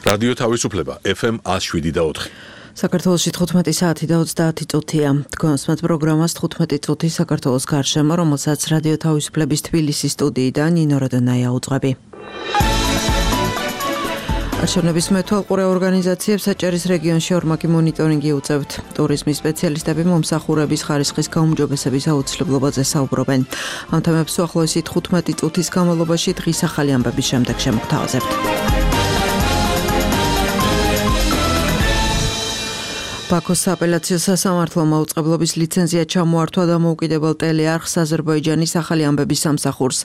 რადიო თავისუფლება FM 107.4. საქართველოში 15 საათი და 30 წუთია. თქვენს პროგრამას 15 წუთი საქართველოს გარშემო, რომელსაც რადიო თავისუფლების თბილისის სტუდიიდან ნინო როდონაია უძღვები. არჩევნების მეთვალყურე ორგანიზაციებს საჭერის რეგიონში ორმაგი მონიტორინგი უწევთ. ტურიზმის სპეციალისტები მომსახურების ხარისხის გაუმჯობესების აუცილებლობაზე საუბრობენ. ამ თემებს უახლოესი 15 წუთის განმავლობაში დღის ახალი ამბების შემდეგ შემოგთავაზებთ. ბაქოს სააპელაციო სასამართლო მაუწყებლობის ლიცენზია ჩამოართვა დამოუკიდებელ ტელეარხს აზერბაიჯანის ახალი ამბების სამსახურს.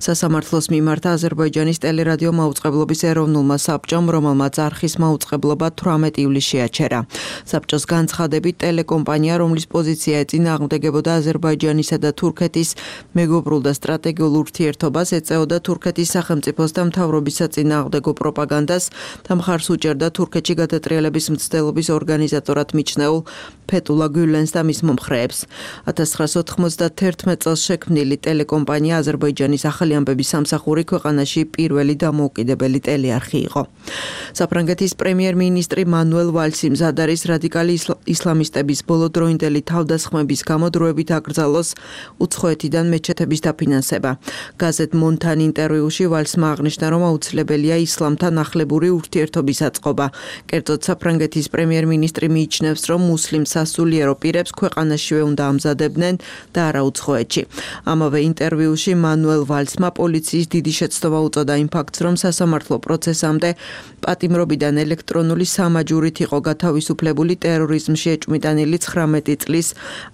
სასამართლოს მიმართა აზერბაიჯანის ტელერადიო მაუწყებლობის ეროვნულმა საბჭომ, რომელმაც არხის მაუწყებლობა 18 ივლისში აჩერა. საბჭოს განცხადებით, ტელეკომპანია, რომლის პოზიცია ეწინააღმდეგებოდა აზერბაიჯანისა და თურქეთის მეგობრულ და სტრატეგიულ ურთიერთობას, ეწეოდა თურქეთის სახელმწიფოს და მთავრობის საწინააღმდეგო პროპაგანდას და მხარს უჭერდა თურქეთში გადატრიალების მცდელობის ორგანიზატორად მიჩნეულ ფეთულა გულენს და მის მომხრეებს. 1991 წელს შექმნილი ტელეკომპანია აზერბაიჯანის ახალი ამბების სამსახური ქვეყანაში პირველი დამოუკიდებელი ტელეარხი იყო. საფრანგეთის პრემიერ-მინისტრი მანუელ ვალსი მზად არის რადიკალი ისლამისტების ბოლოდროინდელი თავდასხმების გამო დროებით აკრძალოს უცხოეთიდან მეჩეთების დაფინანსება. გაზეთ მონთან ინტერვიუში ვალსმა აღნიშნა, რომ აუცილებელია ისლამთან ახლებური ურთიერთობის აწყობა. კერძოდ საფრანგეთის პრემიერ-მინისტრი მიიჩნევს, რომ მუსლიმ სასულიერო პირებს ქვეყანაშივე უნდა ამზადებდნენ და არა უცხოეთში. ამავე ინტერვიუში მანუელ ვალსმა პოლიციის დიდი შეცდომა უწოდა იმ ფაქტს, რომ სასამართლო პროცესამდე პატიმრობიდან ელექტრონული სამაჯურით იყო გათავისუფლებული ტერორიზმში ეჭვმიტანილი 19 წლის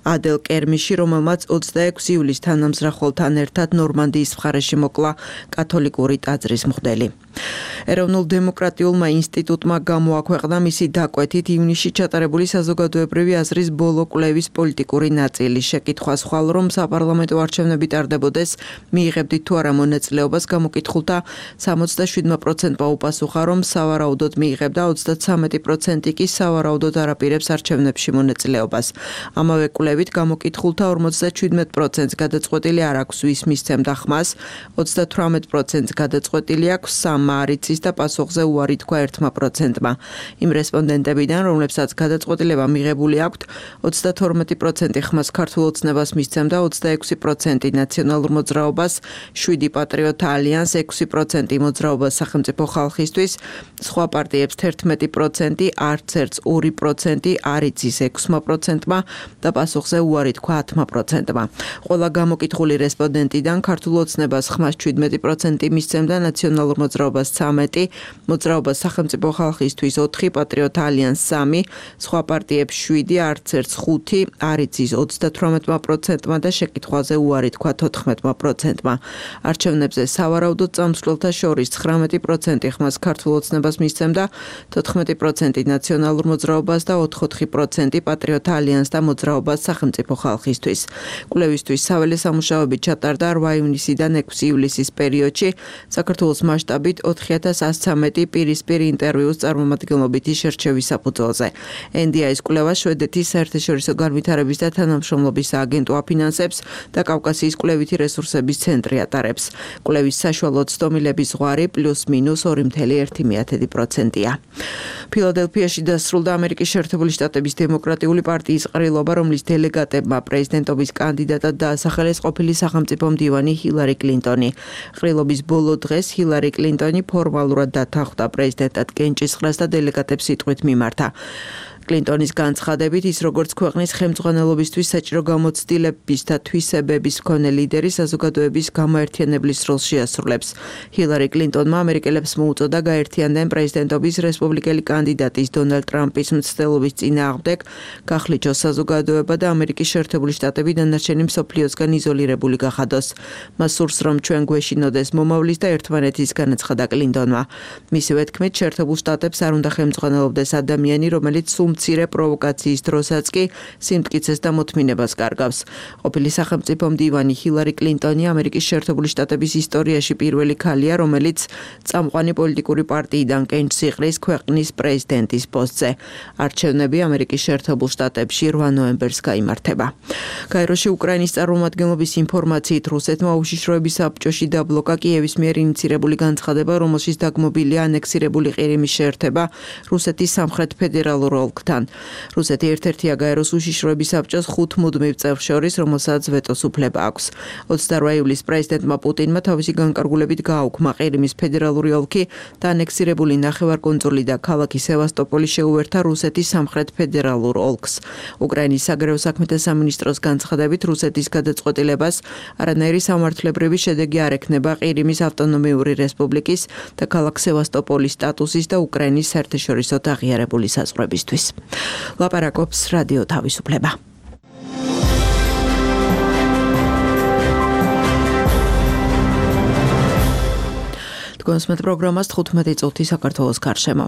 ადელ კერმიში, რომელმაც 26 ივლისს თანამზრახველთან ერთად ნორმანდიის მხარეში მოკლა კათოლიკური ტაძრის მღვდელი. ეროვნულ დემოკრატიულმა ინსტიტუტმა გამოაქვეყნა მისი დაკვეთით ივნისში ჩატარებული საზოგადოებრივი აზრის ბოლო კვლევის პოლიტიკური ნაწილი. შეკითხვა სხვალ, რომ საპარლამენტო არჩევნები ტარდებოდეს, მიიღებდით თუ არა მონაწილეობას, გამოკითხულთა 77%-მა უპასუხა, რომ სავარაუდოდ მიიღებდა, 33% კი სავარაუდოდ არაპირებს არჩევნებში მონაწილეობას. ამავე კვლევით გამოკითხულთა 57%-ს გადაწყვეტილი არ აქვს, ვის მისცემდა ხმას, 38%-ს გადაწყვეტილი აქვს სამ არ იცის და პასუხზე უარი თქვა 1%-მა. იმ რესპონდენტებიდან, რომლებსაც გადაწყვეტილება მიღებული აქვთ, 32% ხმას ქართულ ოცნებას მისცემდა, 26% ნაციონალურ მოძრაობას, 7 პატრიოტ ალიანს, 6% მოძრაობას სახელმწიფო ხალხისთვის, სხვა პარტიებს 11%, არც ერთს 2%, არ იცის 6%-მა და პასუხზე უარი თქვა 10%-მა. ყველა გამოკითხული რესპონდენტიდან ქართულ ოცნებას ხმას 17% მისცემდა, ნაციონალურ მოძრაობას 13, მოძრაობას სახელმწიფო ხალხისთვის 4, პატრიოტ ალიანს 3, სხვა პარტიებს 7, არც ერთს 5, არ იცის 38%-მა და შეკითხვაზე უარი თქვა 14%-მა. არჩევნებზე სავარაუდოდ წამსვლელთა შორის 19% ხმას ქართულ ოცნებას მისცემდა, 14% ნაციონალურ მოძრაობას და 4% პატრიოტ ალიანს და მოძრაობას სახელმწიფო ხალხისთვის. კვლევისთვის საველე სამუშაოები ჩატარდა 8 ივნისიდან 6 ივლისის პერიოდში საქართველოს მასშტაბით 4113 პირისპირ ინტერვიუს წარმომადგენლობითი შერჩევის საფუძველზე. NDI-ის კვლევა შვედეთის საერთაშორისო განვითარების და თანამშრომლობის სააგენტო აფინანსებს და კავკასიის კვლევითი რესურსების ცენტრი ატარებს. კვლევის საშუალო ცდომილების ზღვარი +-2.1%-ია. ფილადელფიაში დასრულდა ამერიკის შეერთებული შტატების დემოკრატიული პარტიის ყრილობა, რომლის დელეგატებმა პრეზიდენტობის კანდიდატად დაასახელეს ყოფილი სახელმწიფო მდივანი ჰილარი კლინტონი. ყრილობის ბოლო დღეს ჰილარი კლინტონი ფორმალურად დათანხმდა პრეზიდენტად კენჭისყრას და დელეგატებს სიტყვით მიმართა. კლინტონის განცხადებით, ის როგორც ქვეყნის ხელმძღვანელობისთვის საჭირო გამოცდილების და თვისებების მქონე ლიდერი საზოგადოების გამოერთიანებლის როლს შეასრულებს. ჰილარი კლინტონმა ამერიკელებს მოუწოდა გაერთიანდნენ პრეზიდენტობის რესპუბლიკელი კანდიდატის დონალდ ტრამპის მცდელობის წინააღმდეგ, გახლიჩოს საზოგადოება და ამერიკის შეერთებული შტატები დანარჩენი მსოფლიოსგან იზოლირებული გახადოს. მას სურს, რომ ჩვენ გვეშინოდეს მომავლის და ერთმანეთის განაცხადა კლინტონმა. მისივე თქმით, შეერთებულ შტატებს არ უნდა ხელმძღვანელობდეს ადამიანი, რომელიც სულ მცირე პროვოკაციის დროსაც კი სიმტკიცეს და მოთმინებას კარგავს. ყოფილი სახელმწიფო მდივანი ჰილარი კლინტონი ამერიკის შეერთებული შტატების ისტორიაში პირველი ქალია, რომელიც წამყვანი პოლიტიკური პარტიიდან კენჭს იყრის ქვეყნის პრეზიდენტის პოსტზე. არჩევნები ამერიკის შეერთებულ შტატებში 8 ნოემბერს გაიმართება. გაეროში უკრაინის წარმომადგენლობის ინფორმაციით რუსეთმა უშიშროების საბჭოში დაბლოკა კიევის მიერ ინიცირებული განცხადება, რომელშიც დაგმობილია ანექსირებული ყირიმის შეერთება რუსეთის სამხრეთ ფედერალურ ოლქთან. რუსეთი ერთ-ერთია გაეროს უშიშროების საბჭოს 5 მუდმივ წევრს შორის, რომელსაც ვეტოს უფლება აქვს. 28 ივლისს პრეზიდენტმა პუტინმა თავისი განკარგულებით გააუქმა ყირიმის ფედერალური ოლქი და ანექსირებული ნახევარკუნძული და ქალაქი სევასტოპოლი შეუერთა რუსეთის სამხრეთ ფედერალურ ოლქს. უკრაინის საგარეო საქმეთა სამინისტროს განცხადებით, რუსეთის გადაწყვეტილებას არანაირი სამართლებრივი შედეგი არ ექნება ყირიმის ავტონომიური რესპუბლიკის და ქალაქ სევასტოპოლის სტატუსის და უკრაინის საერთაშორისო აღიარებული საზღვრებისთვის. ლაპარაკობს რადიო თავისუფლება. კონსმეთ პროგრამას 15 წუთი საქართველოს გარშემო.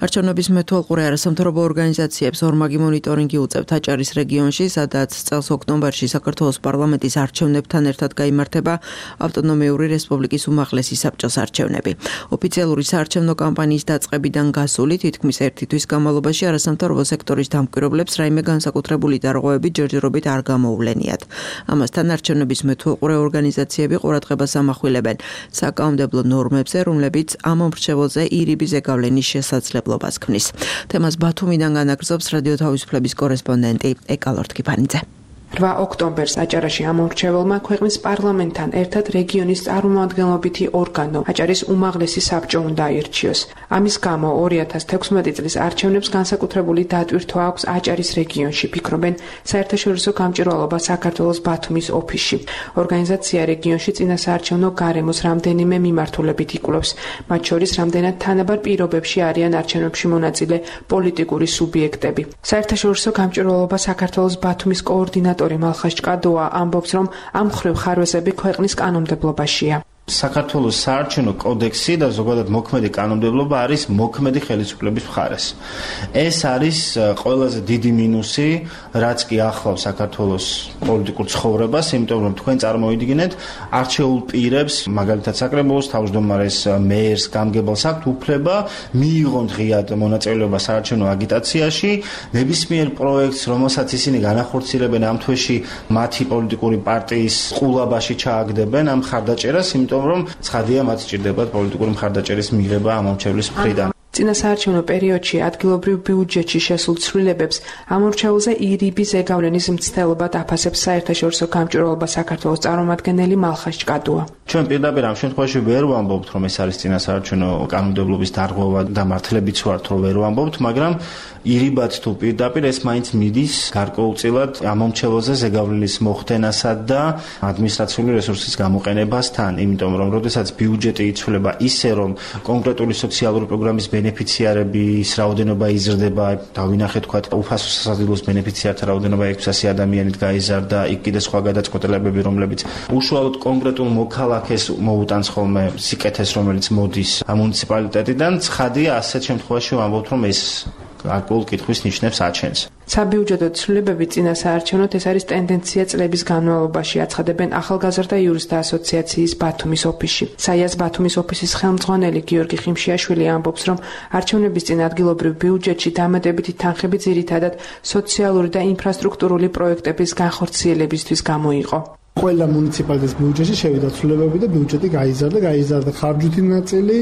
არჩევნების მეთვალყურე არასამთავრობო ორგანიზაციებს ორმაგი მონიტორინგი უწევთ აჭარის რეგიონში, სადაც წელს ოქტომბერში საქართველოს პარლამენტის არჩევნებთან ერთად გაიმართება ავტონომიური რესპუბლიკის უმაღლესი საბჭოს არჩევნები. ოფიციალური საარჩევნო კამპანიის დაწყებიდან გასული თითქმის 1 თვის განმავლობაში არასამთავრობო სექტორის დამკვირვებლებს რაიმე განსაკუთრებული დარღვევები ჯერჯერობით არ გამოუვლენიათ. ამასთან არჩევნების მეთვალყურე ორგანიზაციები ყურადღებას ამახვილებენ საკანონმდებლო ნორმებზე, რომლებიც ამ მომრჩეველზე ირიბი ზეგავლენის შესაძლებლობას ქმნის. თემას ბათუმიდან განაგრძობს რადიო თავისუფლების კორესპონდენტი ეკა ლორთქიფანიძე. 8 ოქტომბერს აჭარაში ამორჩეველმა ქვეყნის პარლამენტთან ერთად რეგიონის წარმომადგენლობითი ორგანო აჭარის უმაღლესი საბჭო უნდა აირჩიოს. ამის გამო 2016 წლის არჩევნებს განსაკუთრებული დატვირთვა აქვს აჭარის რეგიონში, ფიქრობენ საერთაშორისო გამჭვირვალობა საქართველოს ბათუმის ოფისში. ორგანიზაცია რეგიონში წინასაარჩევნო გარემოს რამდენიმე მიმართულებით იკვლევს, მათ შორის რამდენად თანაბარ პირობებში არიან არჩევნებში მონაწილე პოლიტიკური სუბიექტები. საერთაშორისო გამჭვირვალობა საქართველოს ბათუმის კოორდინატორი მალხას ჭკადოა ამბობს, რომ ამ მხრივ ხარვეზები ქვეყნის კანონმდებლობაშია. საქართველოს საარჩევნო კოდექსი და ზოგადად მოქმედი კანონმდებლობა არის მოქმედი ხელისუფლების მხარეს. ეს არის ყველაზე დიდი მინუსი, რაც კი ახლავს საქართველოს პოლიტიკურ ცხოვრებას, იმიტომ რომ თქვენ წარმოიდგინეთ, არჩეულ პირებს, მაგალითად საკრებულოს თავმჯდომარეს, მეერს, გამგებელს აქვთ უფლება მიიღონ ღიად მონაწილეობა საარჩევნო აგიტაციაში, ნებისმიერ პროექტს, რომელსაც ისინი განახორციელებენ ამ თვეში, მათი პოლიტიკური პარტიის ყულაბაში ჩააგდებენ ამ მხარდაჭერას, იმიტომ რომ ცხადია მათ სჭირდებათ პოლიტიკური მხარდაჭერის მიღება ამ მომრჩევლის მხრიდან. წინასაარჩევნო პერიოდში ადგილობრივ ბიუჯეტში შესულ ცვლილებებს ამორჩეულზე ირიბი ზეგავლენის მცდელობად აფასებს საერთაშორისო გამჭვირვალობა საქართველოს წარმომადგენელი მალხას ჭკადოა. ჩვენ პირდაპირ ამ შემთხვევაში ვერ ვამბობთ, რომ ეს არის წინასაარჩევნო კანონმდებლობის დარღვევა და მართლებით ვართ, რომ ვერ ვამბობთ, მაგრამ ირიბად თუ პირდაპირ ეს მაინც მიდის გარკვეულწილად ამ მომრჩეველზე ზეგავლენის მოხდენასა და ადმინისტრაციული რესურსის გამოყენებასთან, იმიტომ რომ როდესაც ბიუჯეტი იცვლება ისე, რომ კონკრეტული სოციალური პროგრამის ბენეფიციარების რაოდენობა იზრდება, დავინახეთ თქვათ უფასო სასადილოს ბენეფიციართა რაოდენობა 600 ადამიანით გაიზარდა, იქ კიდე სხვა გადაწყვეტილებები, რომლებიც უშუალოდ კონკრეტულ მოქალაქეს მოუტანს ხოლმე სიკეთეს, რომელიც მოდის მუნიციპალიტეტიდან. ცხადია, ასეთ შემთხვევაში ვამბობთ, რომ ეს გარკვეულ კითხვის ნიშნებს აჩენს. საბიუჯეტო ცვლილებები წინასაარჩევნოდ ეს არის ტენდენცია წლების განმავლობაში, აცხადებენ ახალგაზრდა იურისტთა ასოციაციის ბათუმის ოფისში. საიას ბათუმის ოფისის ხელმძღვანელი გიორგი ხიმშიაშვილი ამბობს, რომ არჩევნების წინ ადგილობრივ ბიუჯეტში დამატებითი თანხები ძირითადად სოციალური და ინფრასტრუქტურული პროექტების განხორციელებისთვის გამოიყო. ყველა მუნიციპალიტეტის ბიუჯეტში შევიდა ცვლილებები და ბიუჯეტი გაიზარდა ხარჯვითი ნაწილი,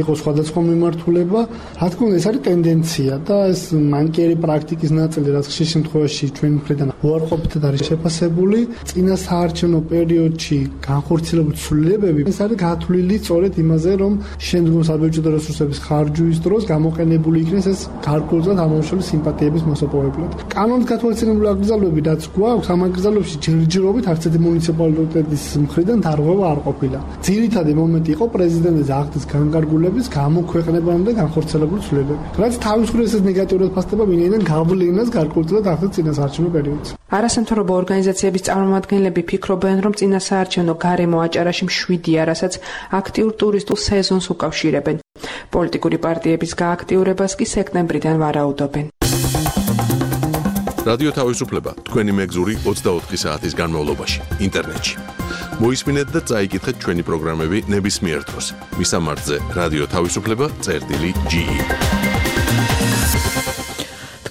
იყო სხვადასხვა მიმართულება. რა თქმა უნდა, ეს არის ტენდენცია და ეს მანკიერი პრაქტიკის ნაწილი, რაც ხშირ შემთხვევაში ჩვენ მხრიდან უარყოფითად არის შეფასებული. წინასაარჩევნო პერიოდში განხორციელებული ცვლილებები ეს არის გათვლილი სწორედ იმაზე, რომ შემდგომ საბიუჯეტო რესურსების ხარჯვის დროს გამოყენებული იქნეს ეს გარკვეულწილად ამომრჩეველი სიმპათიების მოსაპოვებლად. კანონით გათვალისწინებული აკრძალვები, რაც გვაქვს, ამ აკრძალვებში ჯერჯერობით არც ერთი მუნიციპალიტეტის მხრიდან დარღვევა არ ყოფილა. ძირითადი მომენტი იყო პრეზიდენტის აქტის განკარგულების გამოქვეყნებამდე განხორციელებული ცვლილებები. რაც თავის მხრივ ეს ნეგატიურად ფასდება ვინაიდან გავლენას გარკვეულწილად ახდენს წინასაარჩევნო პერიოდს. არასამთავრობო ორგანიზაციების წარმომადგენლები ფიქრობენ, რომ წინასაარჩევნო გარემო აჭარაში მშვიდია, რასაც აქტიურ ტურისტულ სეზონს უკავშირებენ. პოლიტიკური პარტიების გააქტიურებას კი სექტემბრიდან ვარაუდობენ. რადიო თავისუფლება თქვენი მეგზური 24 საათის განმავლობაში ინტერნეტში. მოისმინეთ და წაიკითხეთ ჩვენი პროგრამები ნებისმიერ დროს. მისამართზე რადიო თავისუფლება.ge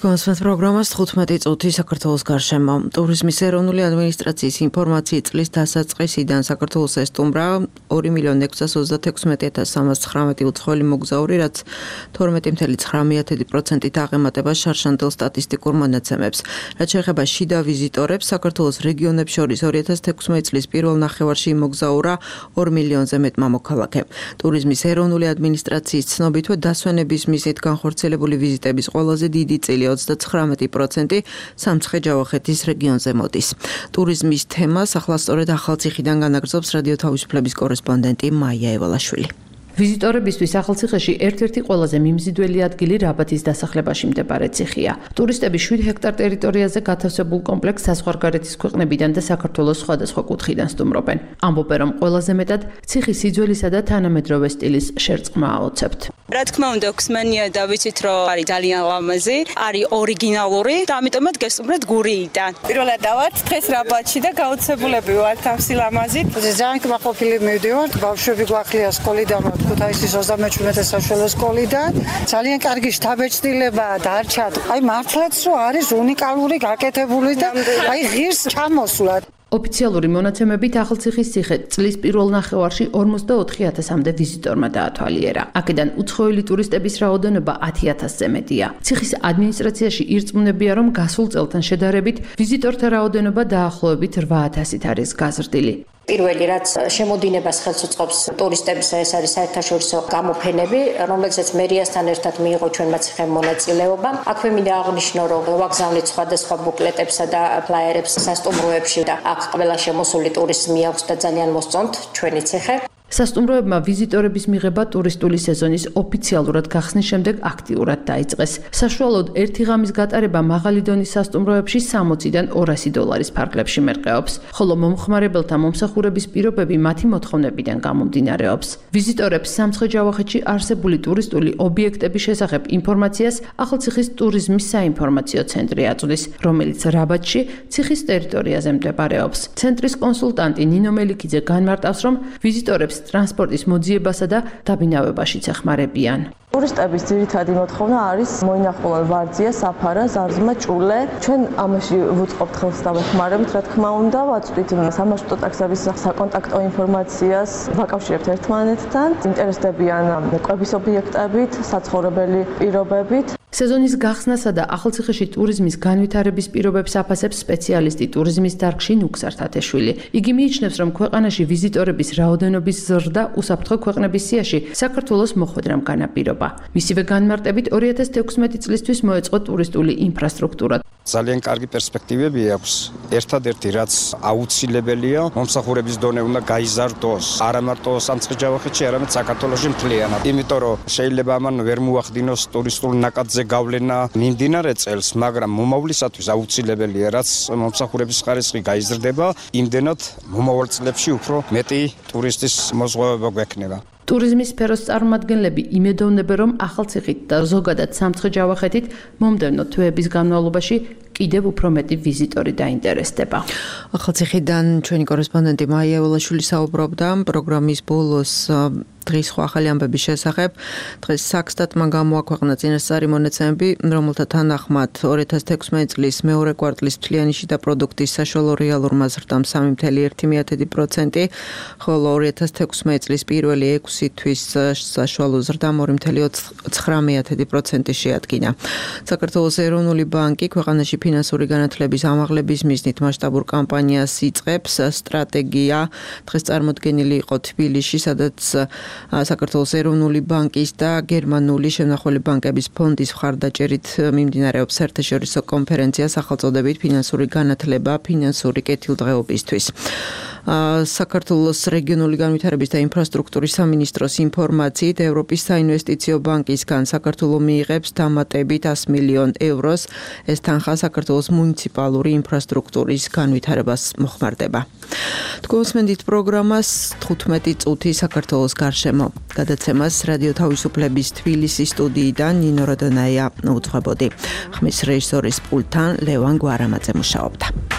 კონსვენს პროგრამას 15 წუთი საქართველოს გარშემო. ტურიზმის ეროვნული ადმინისტრაციის ინფორმაციით წლის დასაწყისიდან საქართველოს ესტუმრა 2.636.319 უცხოელი მოგზაური, რაც 12.9%-ით აღემატება შარშანდელ სტატისტიკურ მონაცემებს. რაც შეეხება შიდა ვიზიტორებს, საქართველოს რეგიონებს შორის 2016 წლის პირველ ნახევარში იმოგზაურა 2 მილიონზე მეტ მამოქალაქე. ტურიზმის ეროვნული ადმინისტრაციის ცნობითვე დასვენების მიზნით განხორციელებული ვიზიტების ყველაზე დიდი წილი 39% სამცხე-ჯავახეთის რეგიონზე მოდის. ტურიზმის თემას ახლა სწორედ ახალციხიდან განაგრძობს რადიო თავისუფლების კორესპონდენტი მაია ევალაშვილი. ვიზიტორებისთვის ახალციხეში ერთ-ერთი ყველაზე მიმზიდველი ადგილი რაბათის დასახლებაში მდებარე ციხეა. ტურისტები 7 ჰექტარ ტერიტორიაზე გათავსებულ კომპლექსს საზღვარგარეთის ქვეყნებიდან და საქართველოს სხვადასხვა კუთხიდან სტუმრობენ. ამბობენ, რომ ყველაზე მეტად ციხის სიძველისა და თანამედროვე სტილის შერწყმა აოცებთ. რა თქმა უნდა, გვსმენია და ვიცით, რომ არის ძალიან ლამაზი, არის ორიგინალური და ამიტომაც გესტუმრეთ გურიიდან. პირველად დავართ დღეს რაბათში და გაოცებულები ვართ თავსი ლამაზით. ძალიან კმაყოფილი მივდივართ, ბავშვები გვახლია სკოლიდან, ქუთაისის 37 საშუალო სკოლიდან. ძალიან კარგი შთაბეჭდილებაა დარჩათ. აი მართლაც რომ არის უნიკალური გაკეთებული და აი ღირს ჩამოსვლად. ოფიციალური მონაცემებით ახალციხის ციხე წლის პირველ ნახევარში 44,000-მდე ვიზიტორმა დაათვალიერა. აქედან უცხოელი ტურისტების რაოდენობა 10,000-ზე მეტია. ციხის ადმინისტრაციაში ირწმუნებია, რომ გასულ წელთან შედარებით ვიზიტორთა რაოდენობა დაახლოებით 8,000-ით არის გაზრდილი. პირველი რაც შემოდინებას ხელს უწყობს ტურისტების ეს არის საერთაშორისო გამოფენები, რომლებზეც მერიასთან ერთად მიიღო ჩვენმა ციხემ მონაწილეობა. აქვე მინდა აღნიშნო, რომ ვაგზავნით სხვადასხვა ბუკლეტებსა და ფლაიერებს სასტუმროებში და აქ ყველა შემოსული ტურისტი აქვს და ძალიან მოსწონთ ჩვენი ციხე. სასტუმროებმა ვიზიტორების მიღება ტურისტული სეზონის ოფიციალურად გახსნის შემდეგ აქტიურად დაიწყეს. საშუალოდ ერთი ღამის გატარება მაღალი დონის სასტუმროებში 60-დან 200 დოლარის ფარგლებში მერყეობს, ხოლო მომხმარებელთა მომსახურების პირობები მათი მოთხოვნებიდან გამომდინარეობს. ვიზიტორებს სამცხე-ჯავახეთში არსებული ტურისტული ობიექტების შესახებ ინფორმაციას ახალციხის ტურიზმის საინფორმაციო ცენტრი აწვდის, რომელიც რაბათში ციხის ტერიტორიაზე მდებარეობს. ცენტრის კონსულტანტი ნინო მელიქიძე განმარტავს, რომ ვიზიტორებს ტრანსპორტის მოძიებასა და დაბინავებაშიც ეხმარებიან. ტურისტების ძირითადი მოთხოვნა არის მოინახულონ ვარძია, საფარა, ზარზმა, ჭულე. ჩვენ ამაში ვუწყობთ ხელს და ვეხმარებთ, რა თქმა უნდა, ვაწვდით სამარშრუტო ტაქსების საკონტაქტო ინფორმაციას, ვაკავშირებთ ერთმანეთთან, ინტერესდებიან კვების ობიექტებით, საცხოვრებელი პირობებით. სეზონის გახსნასა და ახალციხეში ტურიზმის განვითარების პირობებს აფასებს სპეციალისტი ტურიზმის დარგში ნუქსარ თათეშვილი. იგი მიიჩნევს, რომ ქვეყანაში ვიზიტორების რაოდენობის ზრდა უსაფრთხო ქვეყნების სიაში საქართველოს მოხვედრამ განაპირობა. მისივე განმარტებით 2016 წლისთვის მოეწყო ტურისტული ინფრასტრუქტურა. ძალიან კარგი პერსპექტივები აქვს. ერთადერთი რაც აუცილებელია, მომსახურების დონე უნდა გაიზარდოს. არა მარტო სამცხე-ჯავახეთში, არამედ საქართველოში მთლიანად. იმიტომ რომ შეიძლება ამან ვერ მოახდინოს ტურისტულ ნაკადზე გავლენა მიმდინარე წელს, მაგრამ მომავლისათვის აუცილებელია, რაც მომსახურების ხარისხი გაიზრდება, იმდენად მომავალ წლებში უფრო მეტი ტურისტის მოზღვევება გვექნება. ტურიზმის სფეროს წარმომადგენლები იმედოვნებენ, რომ ახალციხით და ზოგადად სამცხე-ჯავახეთით მომდევნო თვეების განმავლობაში კიდევ უფრო მეტი ვიზიტორი დაინტერესდება. ახალციხიდან ჩვენი კორესპონდენტი მაია ევალაშვილი საუბრობდა პროგრამის ბოლოს დღის სხვა ახალი ამბების შესახებ. დღეს საქსტატმა გამოაქვეყნა წინასწარი მონაცემები, რომელთა თანახმად 2016 წლის მეორე კვარტლის მთლიანი შიდა პროდუქტის საშუალო რეალურმა ზრდამ 3.1%, ხოლო 2016 წლის პირველი 6 თვის საშუალო ზრდამ 2.9% შეადგინა. საქართველოს ეროვნული ბანკი ქვეყანაში ფინანსური განათლების ამაღლების მიზნით მასშტაბურ კამპანიას იწყებს. სტრატეგია დღეს წარმოდგენილი იყო თბილისში, სადაც საქართველოს ეროვნული ბანკის და გერმანული შემნახველი ბანკების ფონდის მხარდაჭერით მიმდინარეობს საერთაშორისო კონფერენცია სახელწოდებით ფინანსური განათლება ფინანსური კეთილდღეობისთვის. საქართველოს რეგიონული განვითარების და ინფრასტრუქტურის სამინისტროს ინფორმაციით, ევროპის საინვესტიციო ბანკისგან საქართველო მიიღებს დამატებით 100 მილიონ ევროს. ეს თანხა საქართველოს მუნიციპალური ინფრასტრუქტურის განვითარებას მოხმარდება. თქვენსმენდით პროგრამას 15 წუთი საქართველოს გარშემო. გადაცემას რადიო თავისუფლების თბილისის სტუდიიდან ნინო როდონაია უძღვებოდი. ხმის რეჟისორის პულტთან ლევან გვარამაძე მუშაობდა.